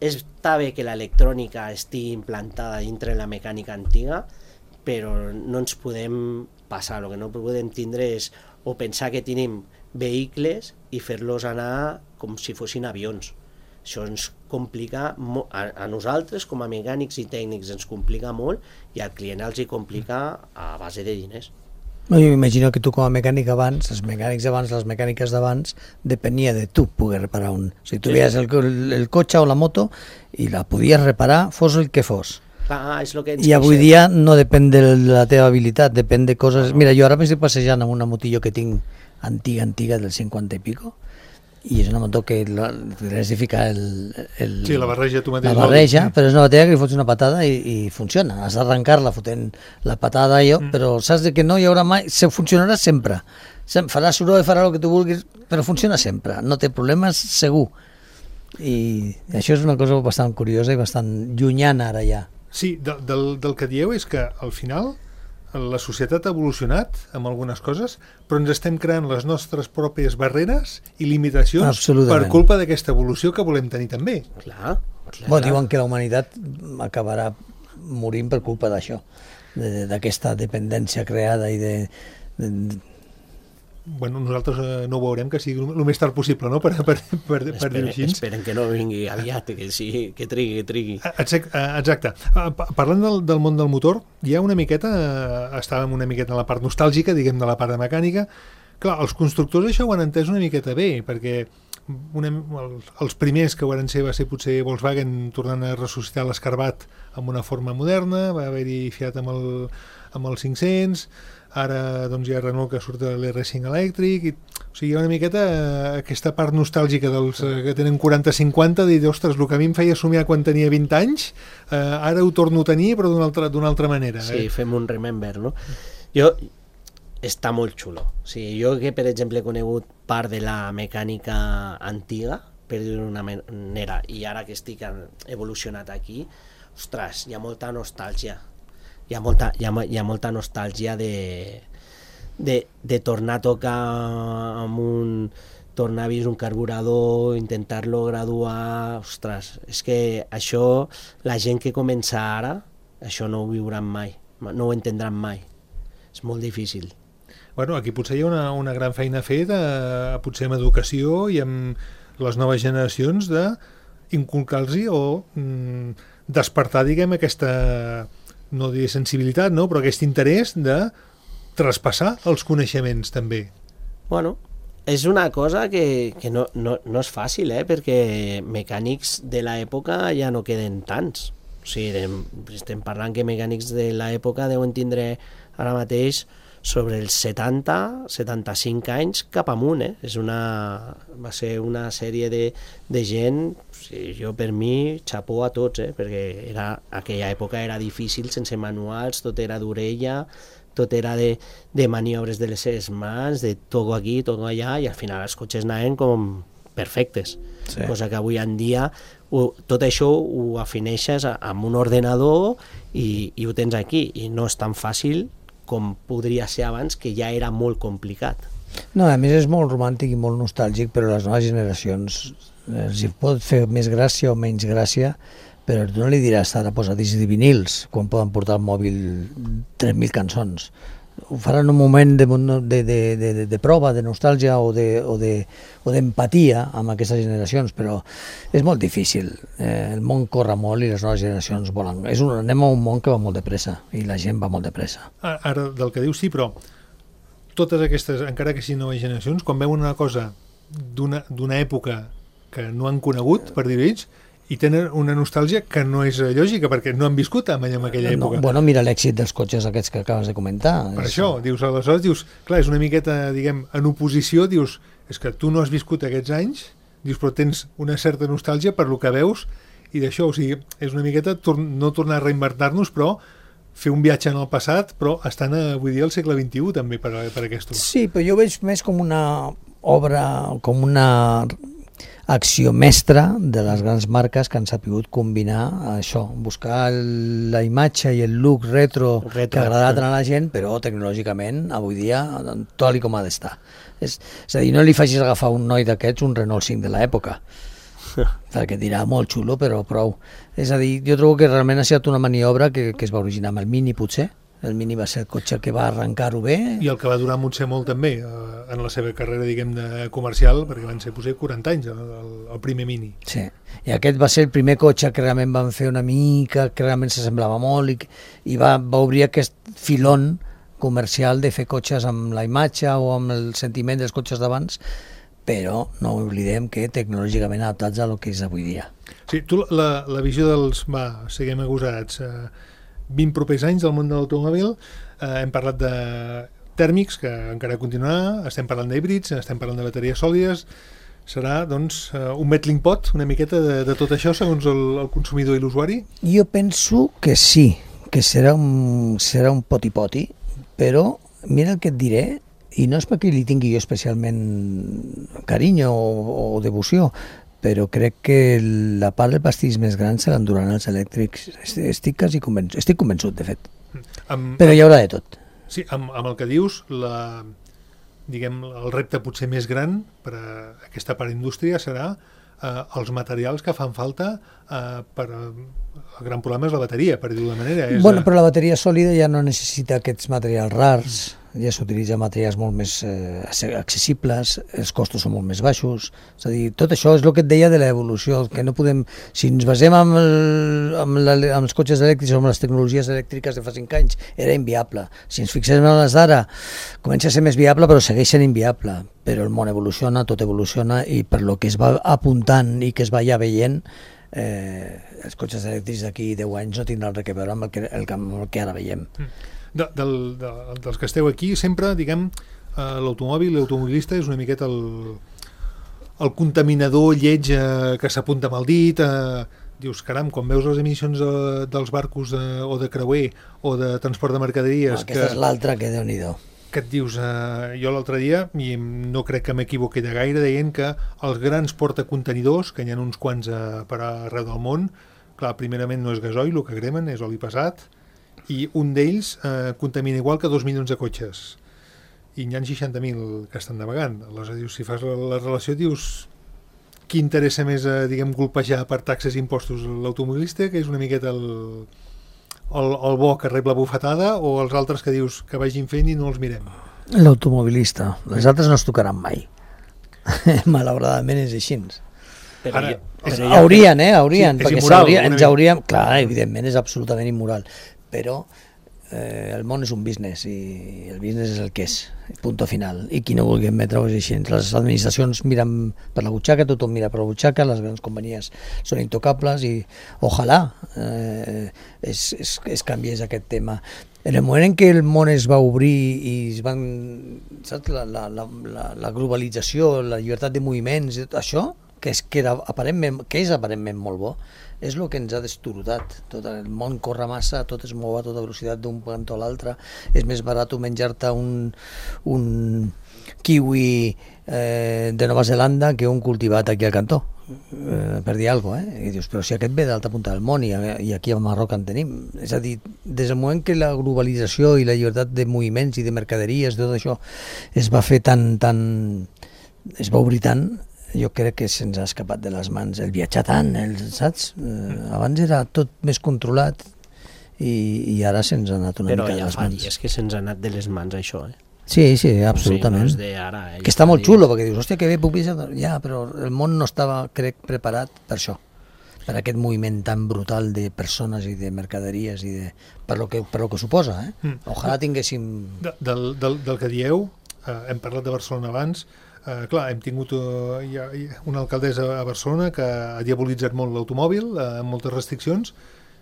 està bé que l'electrònica estigui implantada dintre la mecànica antiga, però no ens podem passar, el que no podem tindre és o pensar que tenim vehicles i fer-los anar com si fossin avions. Això ens complica, mo- a, a nosaltres com a mecànics i tècnics ens complica molt i al client els hi complica a base de diners. No, jo m'imagino que tu com a mecànic abans, els mecànics abans, les mecàniques d'abans, depenia de tu poder reparar un. O sigui, tu Sí. veies el, el, el cotxe o la moto i la podies reparar, fos el que fos. Ah, és lo que ens I avui queixem. dia no depèn de la teva habilitat, depèn de coses... Mira, jo ara m'estic passejant amb una motillo que tinc antiga, antiga, del cinquanta i pico, i és una moto que la- li has de ficar el, el, Sí, la barreja tu mateix. la barreja, però és una bateria que li fots una patada i, i funciona. Has d'arrencar-la fotent la patada jo, mm. però saps de que no hi haurà mai... Se funcionarà sempre. Sem- Farà soroll, farà el que tu vulguis, però funciona sempre. No té problemes, segur. I això és una cosa bastant curiosa i bastant llunyana ara ja. Sí, de, del, del que dieu és que al final la societat ha evolucionat amb algunes coses, però ens estem creant les nostres pròpies barreres i limitacions Absolutament. per culpa d'aquesta evolució que volem tenir també. Clar, clar. Bueno, diuen que la humanitat acabarà morint per culpa d'això, de- d'aquesta dependència creada i de, de, Bueno, nosaltres eh, no ho veurem, que sigui el més tard possible, no?, per, per, per, per dir-ho Esperen, així. esperen que no vingui aviat, que, sí, que trigui, que trigui. Exacte. Exacte. Eh, pa- Parlant del, del món del motor, hi ha una miqueta, eh, estàvem una miqueta en la part nostàlgica, diguem, de la part de mecànica. Clar, els constructors això ho han entès una miqueta bé, perquè una, el, els primers que van ser va ser potser Volkswagen tornant a ressuscitar l'Escarbat amb una forma moderna, va haver-hi Fiat amb el, amb el cinc-cents, ara doncs, hi ha Renault que surt de l'R cinc elèctric, i, o sigui, hi ha una miqueta eh, aquesta part nostàlgica dels eh, que tenen quaranta cinquanta, de dir, ostres, el que a mi em feia somiar quan tenia vint anys, eh, ara ho torno a tenir, però d'una altra, d'una altra manera. Sí, eh? fem un remember, no? Jo... Està molt xulo. O sigui, jo que, per exemple, he conegut part de la mecànica antiga, per dir-ho d'una manera, i ara que estic evolucionat aquí, ostres, hi ha molta nostàlgia. Hi ha molta, hi ha, hi ha molta nostàlgia de, de, de tornar a tocar amb un... tornar a vist un carburador, intentar-lo graduar... Ostres, és que això, la gent que comença ara, això no ho viuran mai, no ho entendran mai. És molt difícil. Bueno, aquí potser hi ha una, una gran feina a fer, de, potser amb educació i amb les noves generacions, de inculcar-los o mm, despertar, diguem, aquesta, no diré sensibilitat, no? Però aquest interès de traspassar els coneixements, també. Bueno, és una cosa que, que no, no, no és fàcil, eh? Perquè mecànics de l'època ja no queden tants. O sigui, estem parlant que mecànics de l'època deuen tindre ara mateix sobre els setanta, setanta-cinc anys cap amunt, eh? És una, va ser una sèrie de, de gent, sí, jo per mi, xapó a tots, eh? Perquè era, aquella època era difícil, sense manuals, tot era d'orella, tot era de, de maniobres de les seves mans, de toco aquí, toco allà, i al final els cotxes anaven com perfectes. Sí. Cosa que avui en dia ho, tot això ho afineixes amb un ordenador i, i ho tens aquí, i no és tan fàcil com podria ser abans, que ja era molt complicat. No, a més és molt romàntic i molt nostàlgic, però les noves generacions eh, els hi pot fer més gràcia o menys gràcia, però tu no li diràs ara posa discs de vinils quan poden portar al mòbil tres mil cançons. Ho faran en un moment de, de, de, de, de prova, de nostàlgia o de, o de, o d'empatia amb aquestes generacions, però és molt difícil. Eh, el món corre molt i les noves generacions volen. És un, anem a un món que va molt de pressa i la gent va molt de pressa. Ara, del que dius, sí, però totes aquestes, encara que siguin noves generacions, quan veuen una cosa d'una d'una època que no han conegut, per dir-ho ells, i tenen una nostàlgia que no és lògica, perquè no han viscut amb allà en aquella època. No, bueno, mira l'èxit dels cotxes aquests que acabes de comentar. Per és... això, dius, aleshores, dius, clar, és una miqueta, diguem, en oposició, dius, és que tu no has viscut aquests anys, dius, però tens una certa nostàlgia per lo que veus, i d'això, o sigui, és una miqueta tor no tornar a reinventar-nos, però fer un viatge en el passat, però estan, avui dia, al segle vint-i-u, també, per, per aquest. Sí, però jo veig més com una obra, com una acció mestra de les grans marques que han sapigut combinar això, buscar la imatge i el look retro, retro que ha agradat a la gent, però tecnològicament avui dia tot com ha d'estar. És, és a dir, no li facis agafar un noi d'aquests un Renault cinc de l'època, perquè dirà molt xulo, però prou. És a dir, jo trobo que realment ha estat una maniobra que, que es va originar amb el Mini, potser. El Mini va ser el cotxe que va arrencar-ho bé. I el que va durar potser molt també eh, en la seva carrera, diguem, de comercial, perquè van ser potser quaranta anys el, el, el primer Mini. Sí, i aquest va ser el primer cotxe que realment van fer una mica, que realment s'assemblava molt i, i va, va obrir aquest filon comercial de fer cotxes amb la imatge o amb el sentiment dels cotxes d'abans, però no oblidem que tecnològicament adaptats a lo que és avui dia. Sí, tu la, la visió dels, va, siguem agosarats, eh, vint propers anys del món de l'automòbil, eh, hem parlat de tèrmics, que encara continuarà, estem parlant d'híbrids, estem parlant de bateries sòlides, serà doncs un melting pot una miqueta de, de tot això segons el, el consumidor i l'usuari? Jo penso que sí, que serà un, serà un poti-poti, però mira el que et diré, i no és perquè li tingui jo especialment carinyo o, o devoció, però crec que la part del pastís més gran se l'enduran els elèctrics. Estic quasi convençut, estic convençut, de fet. Amb, però hi haurà de tot. Sí, amb, amb el que dius, la, diguem, el repte potser més gran per a aquesta part indústria serà eh, els materials que fan falta eh, per... El gran problema és la bateria, per dir-ho de manera. És, bueno, però la bateria sòlida ja no necessita aquests materials rars. ja s'utilitzen materials molt més eh, accessibles, els costos són molt més baixos, és a dir, tot això és el que et deia de l'evolució, que no podem, si ens basem amb, el, amb, la, amb els cotxes elèctrics o amb les tecnologies elèctriques de fa cinc anys, era inviable. Si ens fixem en les d'ara, comença a ser més viable, però segueix sent inviable. Però el món evoluciona, tot evoluciona, i per lo que es va apuntant i que es va ja veient, eh, els cotxes elèctrics d'aquí deu anys no tindran res a veure amb el que, el, amb el que ara veiem. De, del, de, dels que esteu aquí, sempre, diguem, eh, l'automòbil, l'automobilista és una miqueta el, el contaminador lleig eh, que s'apunta amb el dit, eh, dius, caram, quan veus les emissions de, dels barcos de, o de creuer o de transport de mercaderies... No, aquesta que, és l'altra que Déu-n'hi-do. Que et dius, eh, jo l'altre dia, i no crec que m'equivoqui de gaire, deien que els grans portacontenidors, que n'hi ha uns quants eh, per arreu del món, clar, primerament no és gasoil, el que cremen és oli pesat, i un d'ells eh, contamina igual que dos milions de cotxes, i n'hi ha seixanta mil que estan navegant. Aleshores, dius, si fas la, la relació, dius, qui interessa més, eh, diguem, colpejar per taxes i impostos l'automobilista, que és una miqueta el, el, el bo que rep la bufetada, o els altres que dius que vagin fent i no els mirem? L'automobilista. Les altres no es tocaran mai. Malauradament és així. Però Ara, jo, és, però haurien, eh? Haurien, sí, és perquè immoral, s'hauria, ens mica. hauríem... Clar, evidentment és absolutament immoral, però eh, el món és un business i el business és el que és, punto final, i qui no vulgui admetre-ho és així. Les administracions miren per la butxaca, tothom mira per la butxaca, les grans companyies són intocables i ojalà eh, es, es, es canviés aquest tema. En el moment en què el món es va obrir i es van, saps, la, la, la, la, la globalització, la llibertat de moviments, això, que és, que, era aparentment, que és aparentment molt bo, és el que ens ha destorotat. Tot el món corre massa, tot es mou a tota velocitat d'un cantó a l'altre, és més barat menjar-te un, un kiwi eh, de Nova Zelanda que un cultivat aquí al cantó, eh, per dir alguna cosa, eh? I dius, però si aquest ve d'alta punta del món i, i aquí a Marroc en tenim. És a dir, des del moment que la globalització i la llibertat de moviments i de mercaderies, tot això es va fer tan, tan es va obrir tant, jo crec que se'ns ha escapat de les mans el viatjar tant, el, saps? Eh, abans era tot més controlat i, i ara se'ns ha anat una però mica de ja les fa mans. dies que se'ns ha anat de les mans això, eh? Sí, sí, absolutament. O sigui, no és d'ara, eh? Que està molt xulo, perquè dius, hòstia, que bé puc viatjar. Ja, però el món no estava, crec, preparat per això, per aquest moviment tan brutal de persones i de mercaderies i de, per lo que, per lo que suposa, eh? Mm. Ojalà tinguéssim... De, del, del, del que dieu, eh, hem parlat de Barcelona abans. Uh, clar, hem tingut uh, ja, una alcaldessa a Barcelona que ha diabolitzat molt l'automòbil, uh, amb moltes restriccions,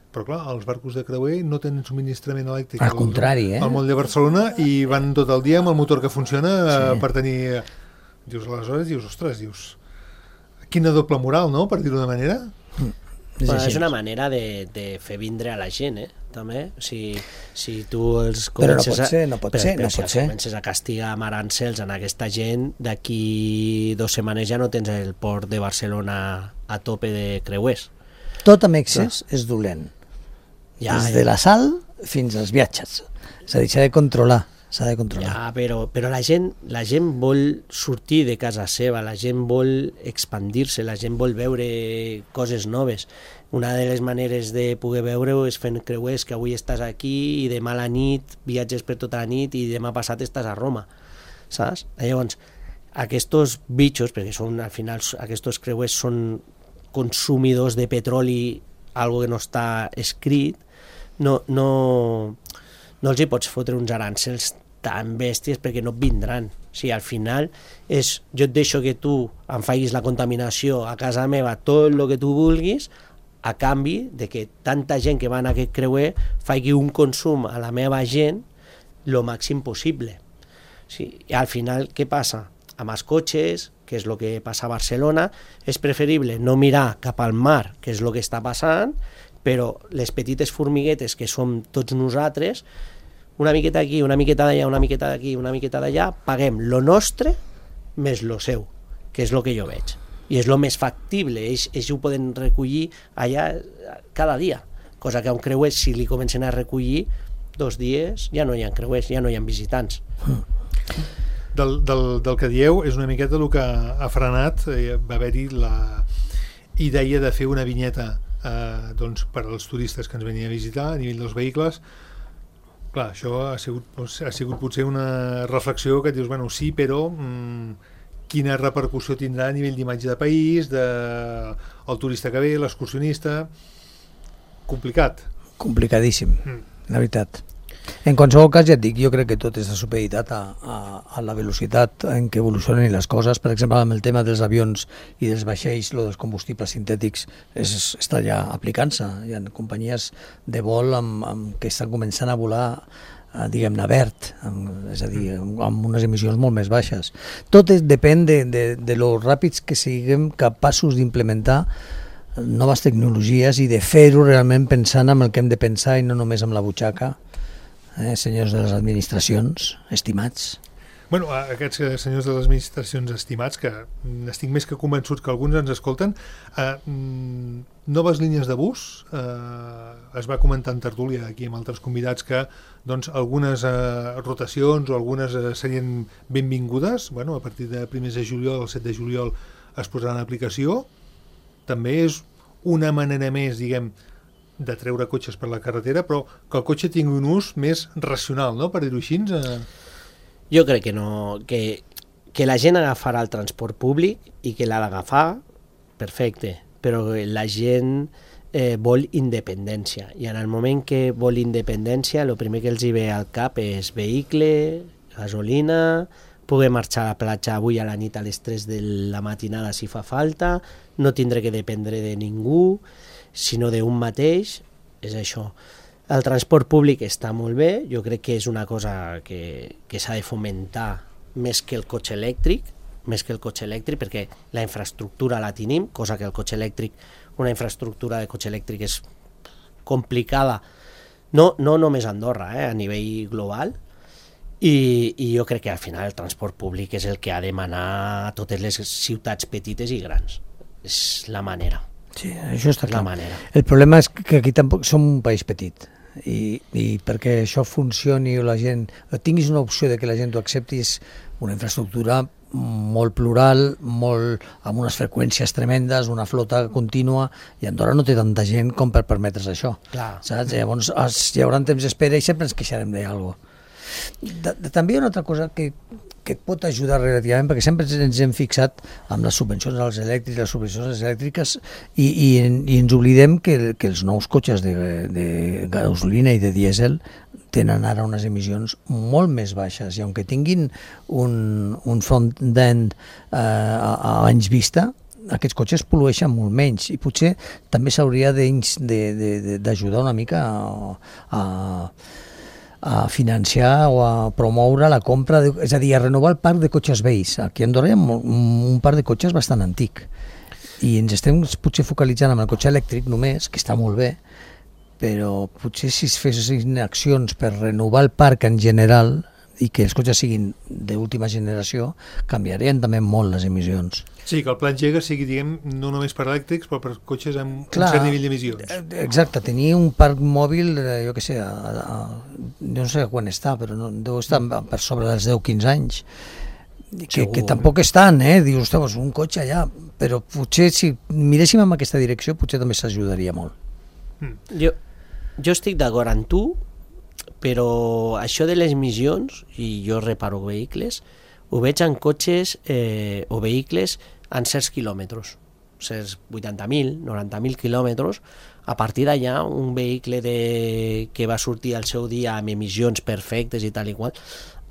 però clar, els barcos de creuer no tenen subministrament elèctric al contrari, eh? al moll de Barcelona i van tot el dia amb el motor que funciona uh, Sí. per tenir... Dius, aleshores, dius, ostres, dius, quina doble moral, no?, per dir-ho d'una manera. És, Bueno, així. és una manera de, de fer vindre a la gent, eh? També, si, si tu els Però no comences pot ser, no pot però, ser, però no si pot els ser. comences a castigar amb arancels en aquesta gent, d'aquí dos setmanes ja no tens el port de Barcelona a tope de creuers. Tot amb excés és dolent. Ja, Des de la sal fins als viatges. És a dir, s'ha de controlar. S'ha de controlar. Ja, però, però la, gent, la gent vol sortir de casa seva, la gent vol expandir-se, la gent vol veure coses noves. Una de les maneres de poder veure-ho és fent creuers, que avui estàs aquí i demà a la nit viatges per tota la nit i demà passat estàs a Roma, saps? Llavors, aquests bitxos, perquè són, al final aquests creuers són consumidors de petroli, algo que no està escrit, no, no, no els hi pots fotre uns arancels tan bèsties perquè no et vindran. O sigui, al final és, jo et deixo que tu em facis la contaminació a casa meva, tot el que tu vulguis, a canvi de que tanta gent que va en aquest creuer faci un consum a la meva gent lo màxim possible. Sí, i al final, què passa? Amb els cotxes, que és el que passa a Barcelona, és preferible no mirar cap al mar, que és el que està passant, però les petites formiguetes que som tots nosaltres, una miqueta aquí, una miqueta d'allà, una miqueta d'aquí, una miqueta d'allà, paguem lo nostre més lo seu, que és el que jo veig. I és el més factible, ells, ells ho poden recollir allà cada dia, cosa que a un creuer, si li comencen a recollir dos dies, ja no hi ha creuers, ja no hi ha visitants. Del, del, del que dieu és una miqueta el que ha frenat, eh, va haver-hi la idea de fer una vinyeta eh, doncs, per als turistes que ens venien a visitar a nivell dels vehicles, Clar, això ha sigut, ha sigut potser una reflexió que et dius, bueno, sí, però mmm, quina repercussió tindrà a nivell d'imatge de país, de el turista que ve, l'excursionista... Complicat. Complicadíssim, Mm. la veritat. En qualsevol cas, ja et dic, jo crec que tot està supeditat a, a, a la velocitat en què evolucionen les coses. Per exemple, amb el tema dels avions i dels vaixells, lo dels combustibles sintètics és, està ja aplicant-se. Hi ha companyies de vol amb, amb, que estan començant a volar eh, diguem-ne verd, amb, és a dir, amb, amb unes emissions molt més baixes. Tot és, depèn de, de, de lo ràpids que siguem capaços d'implementar noves tecnologies i de fer-ho realment pensant en el que hem de pensar i no només amb la butxaca. Eh, senyors de les administracions, estimats. Bueno, aquests senyors de les administracions estimats, que estic més que convençuts que alguns ens escolten, eh, noves línies de bus, eh, es va comentar en tertúlia aquí amb altres convidats que doncs, algunes eh, rotacions o algunes eh, serien benvingudes, bueno, a partir de primers de juliol, el set de juliol es posaran en aplicació. També és una manera més, diguem, de treure cotxes per la carretera, però que el cotxe tingui un ús més racional, no?, per dir-ho així. Eh... Jo crec que no, que, que la gent agafarà el transport públic i que l'ha d'agafar, perfecte, però la gent eh, vol independència, i en el moment que vol independència, el primer que els hi ve al cap és vehicle, gasolina, poder marxar a la platja avui a la nit a les tres de la matinada si fa falta, no tindré que dependre de ningú, sinó d'un mateix, és això. El transport públic està molt bé, jo crec que és una cosa que, que s'ha de fomentar més que el cotxe elèctric, més que el cotxe elèctric, perquè la infraestructura la tenim, cosa que el cotxe elèctric, una infraestructura de cotxe elèctric és complicada, no, no només a Andorra, eh, a nivell global, i, i jo crec que al final el transport públic és el que ha de manar a totes les ciutats petites i grans. És la manera. Sí, això està clar. La manera. El problema és que aquí tampoc som un país petit i, i perquè això funcioni o la gent, o tinguis una opció de que la gent ho accepti, és una infraestructura molt plural, molt, amb unes freqüències tremendes, una flota contínua, i Andorra no té tanta gent com per permetre's això. Clar. Saps? Llavors hi haurà temps d'espera i sempre ens queixarem d'alguna cosa. De, de, també hi ha una altra cosa que, que et pot ajudar relativament, perquè sempre ens hem fixat amb les subvencions als elèctrics, les subvencions a les elèctriques, i, i, i ens oblidem que, que els nous cotxes de, de gasolina i de dièsel tenen ara unes emissions molt més baixes, i aunque tinguin un, un front-end eh, a, a anys vista, aquests cotxes pol·lueixen molt menys, i potser també s'hauria d'ajudar una mica a, a a financiar o a promoure la compra, de, és a dir, a renovar el parc de cotxes vells. Aquí a Andorra hi ha un parc de cotxes bastant antic i ens estem potser focalitzant en el cotxe elèctric només, que està molt bé, però potser si es fessin accions per renovar el parc en general i que els cotxes siguin d'última generació, canviarien també molt les emissions. Sí, que el pla engega sigui, diguem, no només per elèctrics, però per cotxes amb Clar, un cert nivell d'emissions. Exacte, tenir un parc mòbil, jo què sé, a, a, no sé quan està, però no, deu estar per sobre dels deu quinze anys, que, que tampoc és tant, eh? Dius, ostres, un cotxe allà, però potser si miréssim en aquesta direcció potser també s'ajudaria molt. Mm. Jo, jo estic d'acord amb tu, però això de les emissions, i jo reparo vehicles, ho veig en cotxes eh, o vehicles en certs quilòmetres, certs vuitanta mil, noranta mil quilòmetres. A partir d'allà, un vehicle de, que va sortir al seu dia amb emissions perfectes i tal i qual,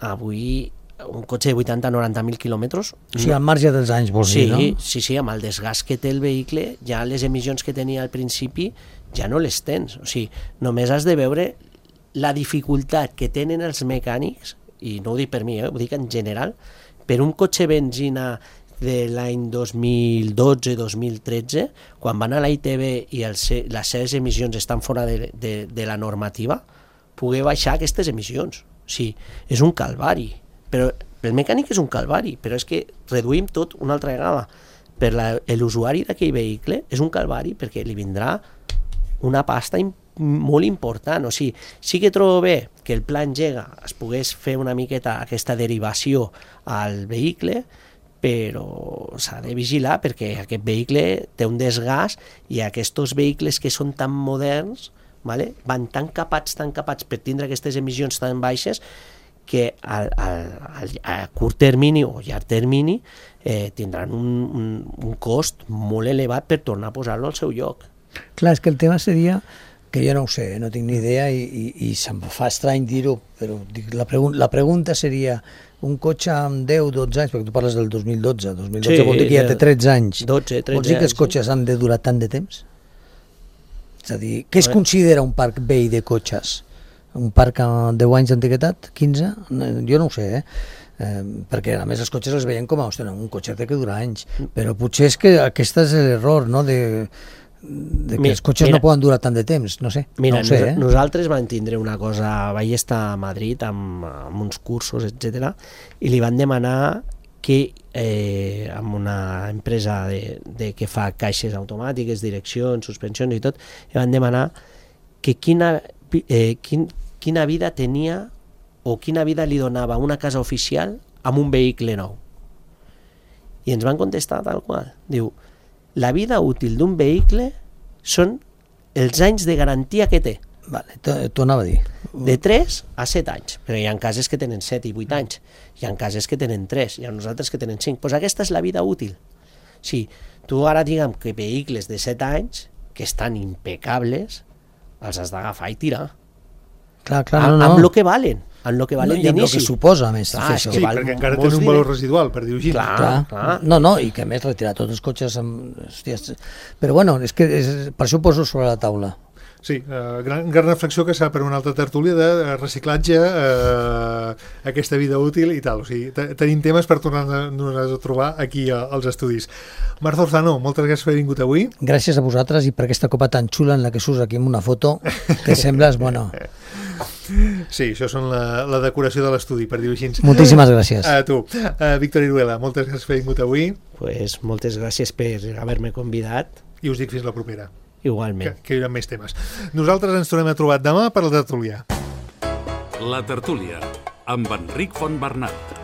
avui un cotxe de vuitanta a noranta mil quilòmetres... O sigui, al marge dels anys, vols sí, dir, no? Sí, sí, amb el desgast que té el vehicle, ja les emissions que tenia al principi ja no les tens. O sigui, només has de veure la dificultat que tenen els mecànics, i no ho dic per mi, eh, ho dic en general, per un cotxe benzina de l'any dos mil dotze dos mil tretze, quan van a la I T B i els, les seves emissions estan fora de, de, de la normativa, poder baixar aquestes emissions. O sigui, és un calvari. Però el mecànic és un calvari, però és que reduïm tot una altra vegada. Per l'usuari d'aquell vehicle és un calvari perquè li vindrà una pasta important molt important. O sigui, sí que trobo bé que el pla engega es pogués fer una miqueta aquesta derivació al vehicle, però s'ha de vigilar perquè aquest vehicle té un desgast i aquests vehicles que són tan moderns vale? Van tan capats, tan capats per tindre aquestes emissions tan baixes que a, a, a curt termini o llarg termini eh, tindran un, un, un cost molt elevat per tornar a posar-lo al seu lloc. Clar, és que el tema seria, que jo no ho sé, no tinc ni idea i, i, i se'm fa estrany dir-ho, però dic, la, pregun la pregunta seria un cotxe amb deu dotze anys, perquè tu parles del dos mil dotze, dos mil dotze sí, vol dir que ja té tretze anys. dotze, tretze Vols dir que els cotxes sí. han de durar tant de temps? És a dir, què es considera un parc vell de cotxes? Un parc amb deu anys d'antiguitat? quinze? Jo no ho sé, eh? Eh, perquè a més els cotxes els veien com a, ostres, un cotxe té que durar anys, però potser és que aquest és l'error, no?, de... de que mira, els cotxes mira, no poden durar tant de temps, no sé. Mira, no sé, eh? nosaltres vam tindre una cosa, vaig estar a Madrid amb, amb uns cursos, etcètera, i li van demanar que eh, amb una empresa de, de que fa caixes automàtiques, direccions, suspensions i tot, li van demanar que quina, eh, quin, quina vida tenia o quina vida li donava una casa oficial amb un vehicle nou. I ens van contestar tal qual. Diu, la vida útil d'un vehicle són els anys de garantia que té. Vale, t'ho anava a dir. De tres a set anys, però hi ha cases que tenen set i vuit anys, hi ha cases que tenen tres, hi ha nosaltres que tenen cinc. Doncs aquesta és la vida útil. Si tu ara diguem que vehicles de set anys, que estan impecables, els has d'agafar i tirar. Clar, clar, no, no. Amb el que valen. En el que valen no, i amb el que suposa, a més. Clar, sí, perquè encara tenen un valor residual, per dir-ho així. Clar, clar. clar. No, no, i que a més retirar tots els cotxes amb... Hòsties. Però bueno, és que és, per això ho poso sobre la taula. Sí, eh, gran, gran reflexió que s'ha per una altra tertúlia de reciclatge, eh, aquesta vida útil i tal. O sigui, tenim temes per tornar-nos a trobar aquí als estudis. Marta Orzano, moltes gràcies per haver vingut avui. Gràcies a vosaltres i per aquesta copa tan xula en la que surts aquí amb una foto que sembles, bueno... Sí, això són la, la decoració de l'estudi, per dir-ho així. Moltíssimes gràcies. A tu. Uh, Víctor Iruela, moltes gràcies per haver vingut avui. Pues moltes gràcies per haver-me convidat. I us dic fins la propera. Igualment. Que, que hi haurà més temes. Nosaltres ens tornem a trobar demà per la tertúlia. La tertúlia, amb Enric Fontbernat.